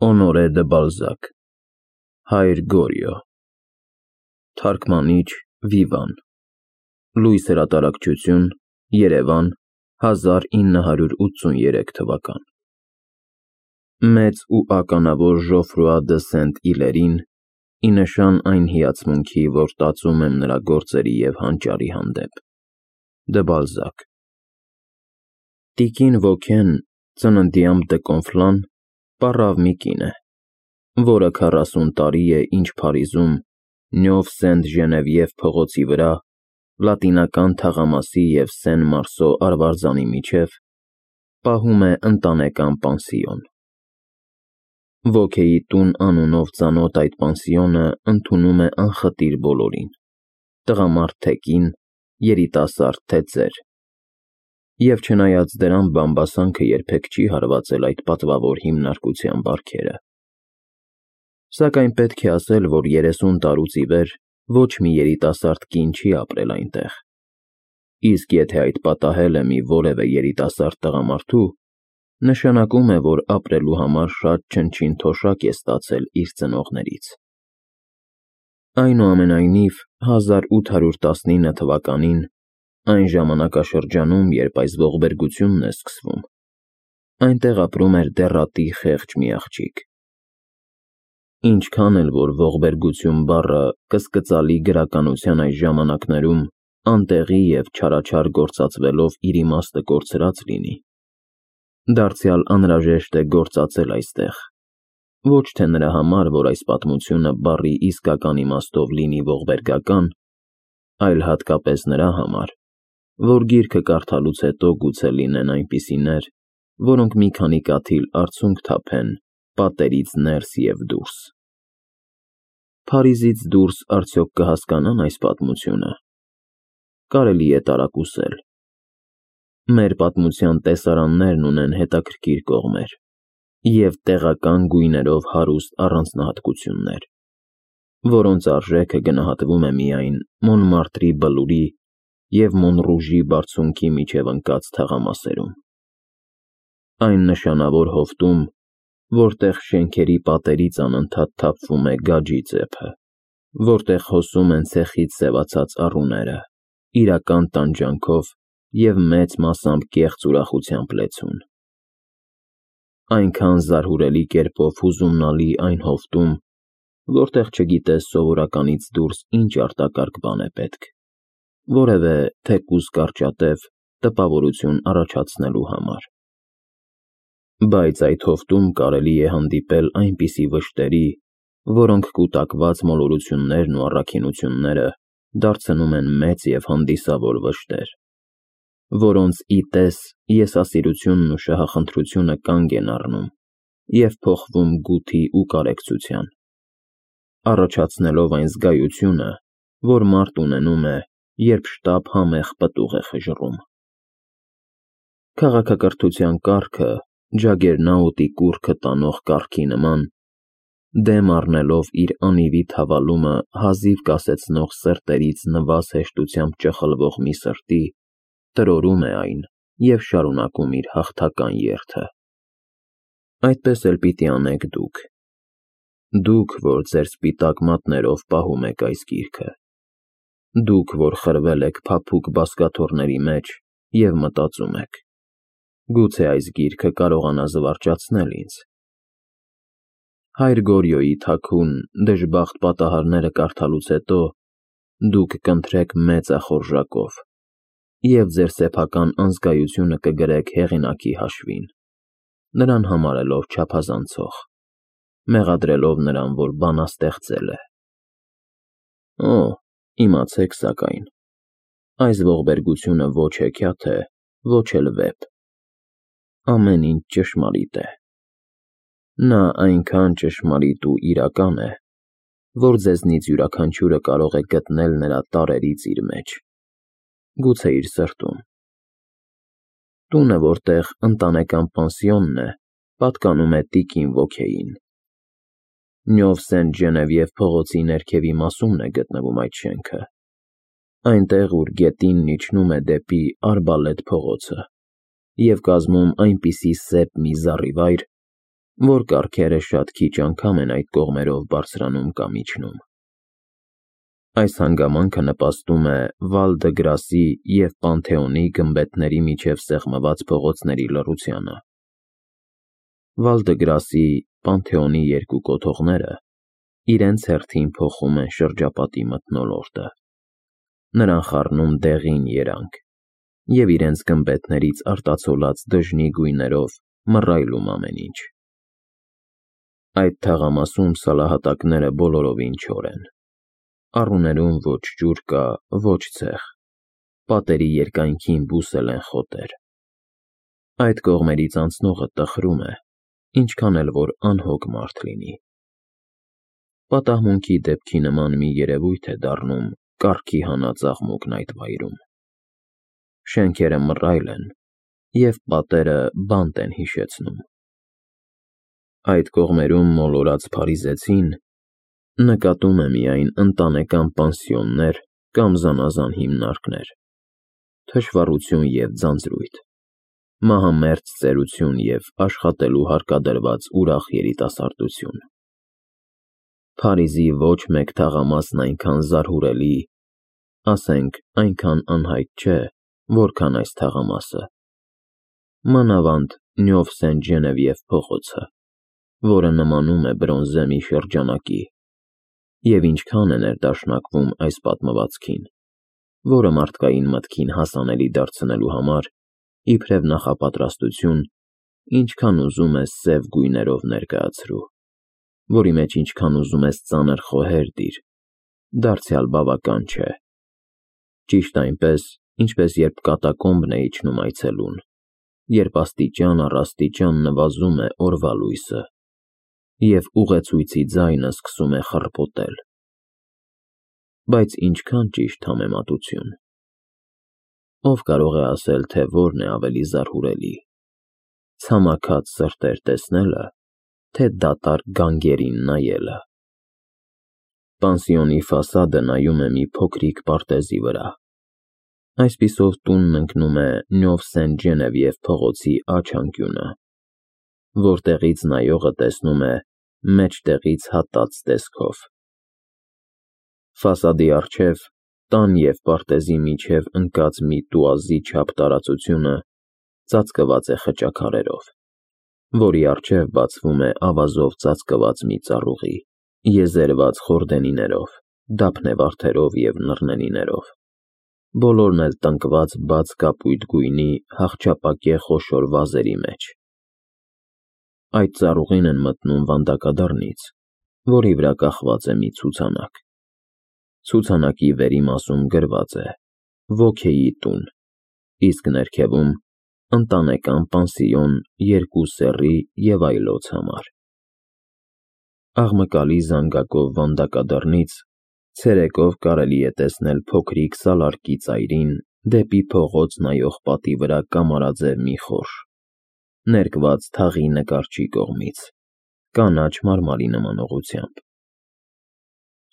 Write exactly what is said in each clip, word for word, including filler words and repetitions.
Օնորե դը Բալզակ, Հայր Գորիո, Թարգմանիչ Վիվան, Լույս հրատարակչություն, Երևան, հազար ինը հարյուր ութսուներեք թվական։ Մեծ ու ականավոր Ժոֆրուա դը Սենտ-Իլերին, ի նշան այն հիացմունքի, որ տածում եմ նրա գործերի և հանճարի հանդեպ։ Դը Բալզակ։ Տիկին Վոքեն, ծննդյամ դը Կոնֆլան, պառավ մի կին է, որը քառասուն տարի է, ինչ Փարիզում, Նյով Սենտ Ժենևիև փողոցի վրա, Լատինական թաղամասի և Սեն Մարսո արվարձանի միջև, պահում է ընտանեկան պանսիոն։ Վոքեի տուն անունով ծանոթ այդ պանսիոնը ընդունում է անխտիր բոլորին, տղամարդ թե կին, երիտասարդ թե ծեր։ Եվ չնայած դրան բամբասանքը երբեք չի հարվածել այդ պատվավոր հիմնարկության բարքերը։ Սակայն պետք է ասել, որ երեսուն տարուց ի վեր ոչ մի երիտասարդ կին չի ապրել այնտեղ, իսկ եթե այդ պատահել է մի որևէ երիտասարդ տղամարդու, նշանակում է, որ ապրելու համար շատ չնչին թոշակ է ստացել իր ծնողներից։ Այնուամենայնիվ, հազար ութ հարյուր տասնինը թվականին, այն ժամանակաշրջանում, երբ այս ողբերգությունն է սկսվում, այնտեղ ապրում էր դեռատի խեղճ մի աղջիկ։ Ինչքան էլ որ ողբերգություն բառը կսկծալի գրականության այս ժամանակներում անտեղի և չարաչար գործածվելով իր իմաստը կորցրած լինի, դարձյալ անհրաժեշտ է գործածել այստեղ, ոչ թե նրա համար, որ այս պատմությունը բառի իսկական իմաստով լինի ողբերգական, այլ հատկապես նրա համար, որ գիրքը կարդալուց հետո գուցե լինեն այնպիսիներ, որոնք մի քանի կաթիլ արցունք թափեն պատերից ներս և դուրս։ Փարիզից դուրս արդյոք կհասկանան այս պատմությունը։ Կարելի է տարակուսել։ Մեր պատմության տեսարաններն ունեն հետաքրքիր կողմեր և տեղական գույներով հարուստ առանձնահատկություններ, որոնց արժեքը գնահատվում է միայն Մոնմարտրի բլուրի և Մոնռուժի բարձունքի միջև ընկած թաղամասերում։ Այն նշանավոր հովտում, որտեղ շենքերի պատերից անընդհատ թափվում է գաջի ծեփը, որտեղ հոսում են ցեխից սևացած առուները, իրական տանջանքով և մեծ մասամբ կեղծ ուրախությամբ լեցուն։ Այնքան զարհուրելի կերպով հուզումնալի այն հովտում, որտեղ չգիտես սովորականից դուրս ինչ արտակարգ բան է պետք, որևէ թեկուզ կարճատև տպավորություն առաջացնելու համար։ Բայց այդ հովտում կարելի է հանդիպել այնպիսի վշտերի, որոնք կուտակված մոլորություններն ու առաքինությունները դարձնում են մեծ և հանդիսավոր վշտեր, որոնց ի տես եսասիրությունն ու շահախնդրությունը կանգ են առնում և փոխվում գութի ու կարեկցության, առաջացնելով այն զգայությունը, որ մարդ ունենում է, երբ շտապ համեղ պտուղ է խժռում։ Քաղաքակրթության կարգը, ջագերնաուտի կուռքը տանող կառքի նման, դեմ առնելով իր անիվի թավալումը հազիվ կասեցնող սրտերից նվազ հեշտությամբ ճխլվող մի սրտի, տրորում է այն և շարունակում իր հաղթական երթը։ Այդպես էլ պիտի անեք դուք։ Դուք, որ ձեր սպիտակ մատներով պահում եք այս գիրքը։ Դուք, որ խրվել եք փափուկ բազկաթոռների մեջ և մտածում եք. գուցե այս գիրքը կարողանա զվարճացնել ինձ։ Հայր Գորիոյի թաքուն, դժբախտ պատահարները կարդալուց հետո դուք կընթրեք մեծախորժակով և ձեր սեփական անզգայությունը կգրեք հեղինակի հաշվին, նրան համարելով չափազանցող, մեղադրելով նրան, որ բանաստեղծել է։ Օ, իմացեք սակայն, այս ողբերգությունը ոչ հեքիաթ է, ոչ էլ վեպ։ Ամեն ինչ ճշմարիտ է։ Նա այնքան ճշմարիտ ու իրական է, որ ձեզնից յուրաքանչյուրը կարող է գտնել նրա տառերից իր մեջ, գուցե իր սրտում։ Տունը, որտեղ ընտանեկան պանսիոնն է, պատկանում է տիկին Վոքեին։ Նյով Սենտ Ժենևիև փողոցի ներքևի մասումն է գտնվում այդ շենքը, այնտեղ, ուր գետինն իջնում է դեպի Արբալետ փողոցը և կազմում այնպիսի սեպ մի զառիվայր, որ կառքերը շատ քիչ անգամ են այդ կողմերով բարձրանում կամ իջնում։ Այս հանգամանքը նպաստում է Վալ դը Գրասի և Պանթեոնի գմբեթների միջև սեղմված փողոցների լռությանը։ Վալ դը Գրասի, Պանթեոնի երկու կոթողները իրենց հերթին փոխում են շրջապատի մթնոլորտը, նրան խառնում դեղին երանգ և իրենց գմբեթներից արտացոլած դժնի գույներով մռայլում ամեն ինչ։ Այդ թաղամասում սալահատակները բոլորովին չոր են, առուներում ոչ ջուր կա, ոչ ցեխ, պատերի երկայնքին բուսել են խոտեր։ Այդ կողմերից անցնողը տխրում է, ինչքան էլ որ անհոգ մարդ լինի։ Պատահմունքի դեպքի նման մի երևույթ է դառնում կառքի հանած աղմուկն այդ վայրում։ Շենքերը մռայլ են, և պատերը բանտ են հիշեցնում։ Այդ կողմերում մոլորած փարիզեցին նկատում է միայն ընտանեկան պանսիոններ կամ զանազան հիմնարկներ, թշվառություն և ձանձրույթ, մահամերձ ծերություն և աշխատելու հարկադրված ուրախ երիտասարդություն։ Փարիզի ոչ մեկ թաղամասն այնքան զարհուրելի, ասենք այնքան անհայտ չէ, որքան այս թաղամասը, մանավանդ Նյով Սեն-Ժենևիև փողոցը, որը նմանում է բրոնզե մի շրջանակի, և ինչքան է ներդաշնակվում այս պատմվածքին, որը մարդկային մտքին հասանելի դարձնելու համար, իբրև նախապատրաստություն, ինչքան ուզում ես սև գույներով ներկայացրու, որի մեջ ինչքան ուզում ես ծանր խոհեր դիր, դարձյալ բավական չէ։ Ճիշտ այնպես, ինչպես երբ կատակոմբն է իջնում այցելուն, երբ աստիճան առ աստիճան նվազում է օրվա լույսը, և ուղեցույցի ձայնը սկսում է խռպոտել։ Բայց ինչքան ճիշտ համեմատություն։ Ով կարող է ասել, թե որն է ավելի զարհուրելի՝ ցամաքած սրտեր տեսնելը, թե դատարկ գանգերին նայելը։ Պանսիոնի ֆասադը նայում է մի փոքրիկ պարտեզի վրա։ Այսպիսով տունն ընկնում է Նյով Սեն-Ժենևիև փողոցի աջ անկյունը, որտեղից նայողը տեսնում է մեջտեղից հատած տեսքով։ Ֆասադի առջև, տան և պարտեզի միջև ընկած մի տուազի չափ տարածությունը ծածկված է խճաքարերով, որի առջև բացվում է ավազով ծածկված մի ծառուղի, եզերված խորդենիներով, դափնեվարդերով և նռնենիներով, բոլորն էլ տնկված բաց կապույտ գույնի հախճապակե խոշոր վազերի մեջ։ Այդ ծառուղին են մտնում վանդակադռնից, որի վրա կախված է մի ցուցանակ։ Ցուցանակի վերիմասում գրված է «Ոգեի տուն», իսկ ներքևում՝ «Ընտանեկան պանսիոն երկու սեռի և այլոց համար»։ Աղմկալի զանգակով վանդակադռնից ցերեկով կարելի է տեսնել փոքրիկ սալարկի ծայրին դեպի փողոց նայող պատի վրա կամարաձև մի խորշ, ներկված թաղի նկարչի կողմից, կանաչ մարմարի նմանողությամբ։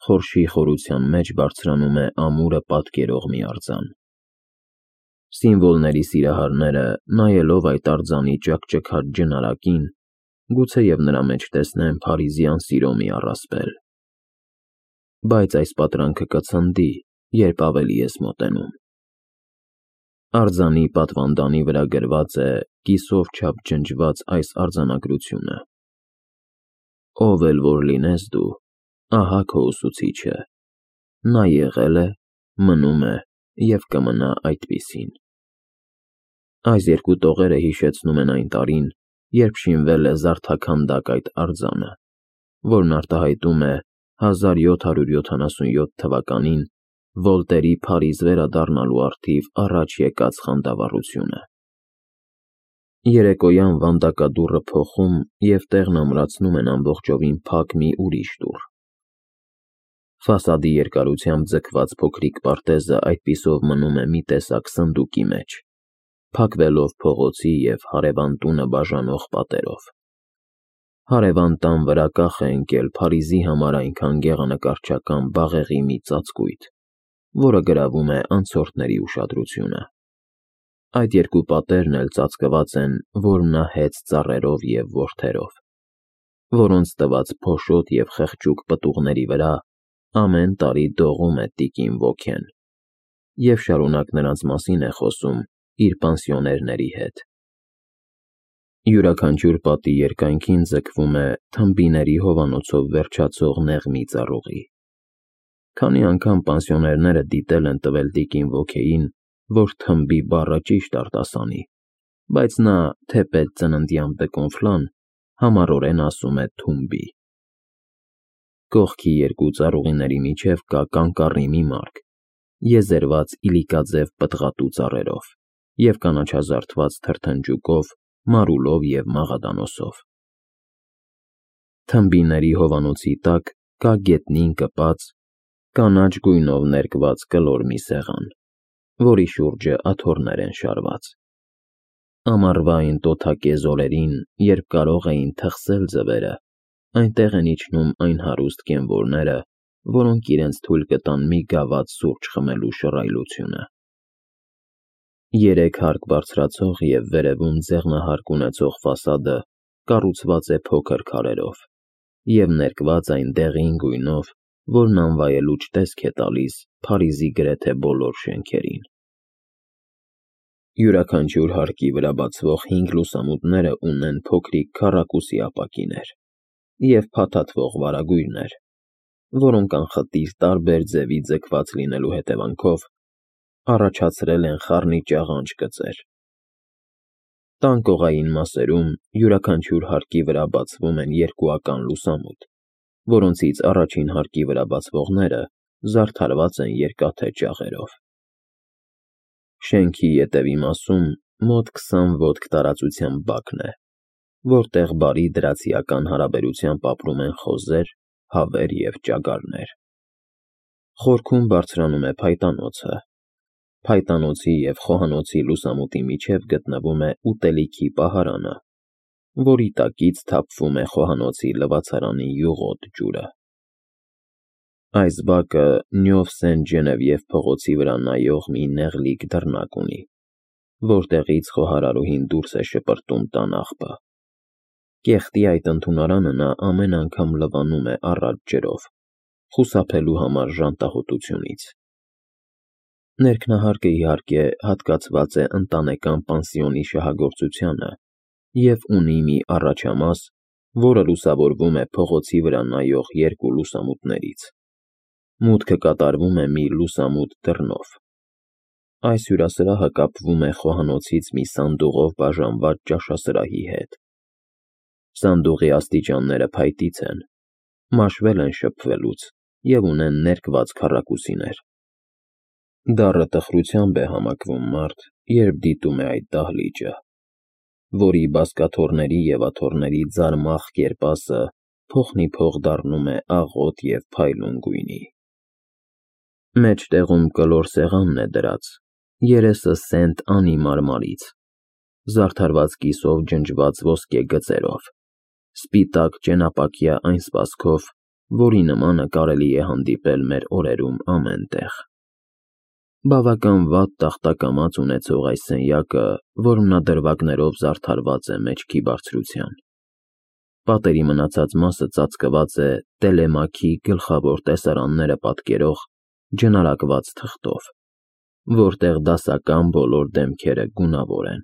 Խորշի խորության մեջ բարձրանում է ամուրը պատկերող մի արձան։ Սիմվոլների սիրահարները, նայելով այդ արձանի ճաքճքած ջնարակին, գուցեև նրա մեջ տեսնեն փարիզյան սիրո մի առասպել։ Բայց այս պատրանքը կցնդի, երբ ավելի ես մոտենում։ Արձանի պատվանդանի վրա գրված է կիսով չափ ջնջված այս արձանագրությունը. «Ով էլ որ լինես դու, ահա քո ուսուցիչը, նա եղել է, մնում է և կմնա այդպիսին»։ Այս երկու տողերը հիշեցնում են այն տարին, երբ շինվել է զարդաքանդակ այդ արձանը, որն արտահայտում է հազար յոթ հարյուր յոթանասունյոթ թվականին Վոլտերի Փարիզ վերադառնալու առթիվ առաջ եկած խանդավառությունը։ Երեկոյան վանդակադուռը փոխում և տեղն ամրացնում են ամբողջովին փակ մի ուրիշ դուռ։ Ֆասադի երկարությամբ ձգված փոքրիկ պարտեզը այդպիսով մնում է մի տեսակ սնդուկի մեջ, փակվելով փողոցի և հարևան տունը բաժանող պատերով։ Հարևան տան վրա կախ է ընկել Փարիզի համար այնքան գեղանկարչական բաղեղի մի ծածկույթ, որը գրավում է անցորդների ուշադրությունը։ Այդ երկու պատերն էլ ծածկված են որմնահեծ ծառերով և որդերով, որոնց տված փոշոտ և խղճուկ պտուղների վրա ամեն տարի դողում է տիկին ոգեն և շարունակ նրանց մասին է խոսում իր պանսիոներների հետ։ Յուրաքանչյուր պատի երկայնքին ձգվում է թմբիների հովանոցով վերջացող նեղ մի ծառուղի։ Քանի անգամ պանսիոներները դիտել են տվել տիկին ոգեին, որ թմբի բառը ճիշտ արտասանի, բայց նա, թեպետ ծննդյան բկոնֆլան, համառորեն ասում է թումբի։ Կողքի երկու ծառուղիների միջև կա կանկարի մի մարկ, եզերված իլիկաձև պտղատու ծառերով և կանաչազարդված թրթնջուկով, մարուլով և մաղադանոսով։ Թմբիների հովանոցի տակ կա գետնին կպած, կանաչ գույնով ներկված կլոր մի սեղան, որի շուրջը աթոռներ են շարված։ Ամառվա այն տոթակեզ օրերին, երբ կարող էին թխսել ձվերը, այնտեղ են իջնում այն հարուստ կենվորները, որոնք իրենց թույլ կտան մի գավաթ սուրճ խմելու շռայլությունը։ Երեք հարկ բարձրացող և վերևում ձեղնահարկ ունեցող ֆասադը կառուցված է փոքր քարերով և ներկված այն դեղին գույնով, որն անվայելուչ տեսք է տալիս Փարիզի գրեթե բոլոր շենքերին։ Յուրաքանչյուր հարկի վրա բացվող հինգ լուսամուտները ունեն փոքրիկ քառակուսի ապակիներ և փաթաթվող վարագույրներ, որոնք անխտիր տարբեր ձևի ձգված լինելու հետևանքով առաջացրել են խառնիճաղանճ կծեր։ Տան կողային մասերում յուրաքանչյուր հարկի վրա բացվում են երկուական լուսամուտ, որոնցից առաջին հարկի վրա բացվողները զարդարված են երկաթե ճաղերով։ Շենքի ետևի մասում մոտ քսան ոտք տարածությամբ բակն է, որտեղ բարի դրացիական հարաբերությամբ ապրում են խոզեր, հավեր և ճագարներ։ Խորքում բարձրանում է փայտանոցը։ Փայտանոցի և խոհանոցի լուսամուտի միջև գտնվում է ուտելիքի պահարանը, որի տակից թափվում է խոհանոցի լվացարանի յուղոտ ջուրը։ Այս բակը Նյով Սեն-Ջենևիև փողոցի վրա նայող մի նեղլիկ դռնակ ունի, որտեղից խոհարարուհին դուրս է շպրտում տան աղբը։ Կեղտի այդ ընդունարանը նա ամեն անգամ լվանում է առատ ջրով, խուսափելու համար ժանտահոտությունից։ Ներքնահարկը, իհարկե, հատկացված է ընտանեկան պանսիոնի շահագործությանը և ունի մի առաջամաս, որը լուսավորվում է փողոցի վրա նայող երկու լուսամուտներից։ Մուտքը կատարվում է մի լուսամուտ դռնով։ Այս հյուրասրահը կապվում է խոհանոցից մի սանդուղով բաժանված ճաշասրահի հետ։ Սանդուղի աստիճանները փայտից են, մաշվել են շփվելուց և ունեն ներկված քառակուսիներ։ Դառը տխրությամբ է համակվում մարդ, երբ դիտում է այդ դահլիճը, որի բազկաթոռների և աթոռների ձարմախ կերպասը փոխնիփոխ դառնում է աղոտ և փայլուն գույնի։ Մեջտեղում կլոր սեղանն է դրած, երեսը սենտ Անի մարմարից, զարդարված կիսով ջնջված ոսկե գծերով, սպիտակ ճենապակյա այն սպասքով, որի նմանը կարելի է հանդիպել մեր օրերում ամեն տեղ։ Բավական վատ տախտակամած ունեցող այս սենյակը որմնադրվագներով զարդարված է մեջքի բարձրության։ Պատերի մնացած մասը ծածկված է Տելեմաքի գլխավոր տեսարանները պատկերող ջնարակված թղթով, որտեղ դասական բոլոր դեմքերը գունավոր են։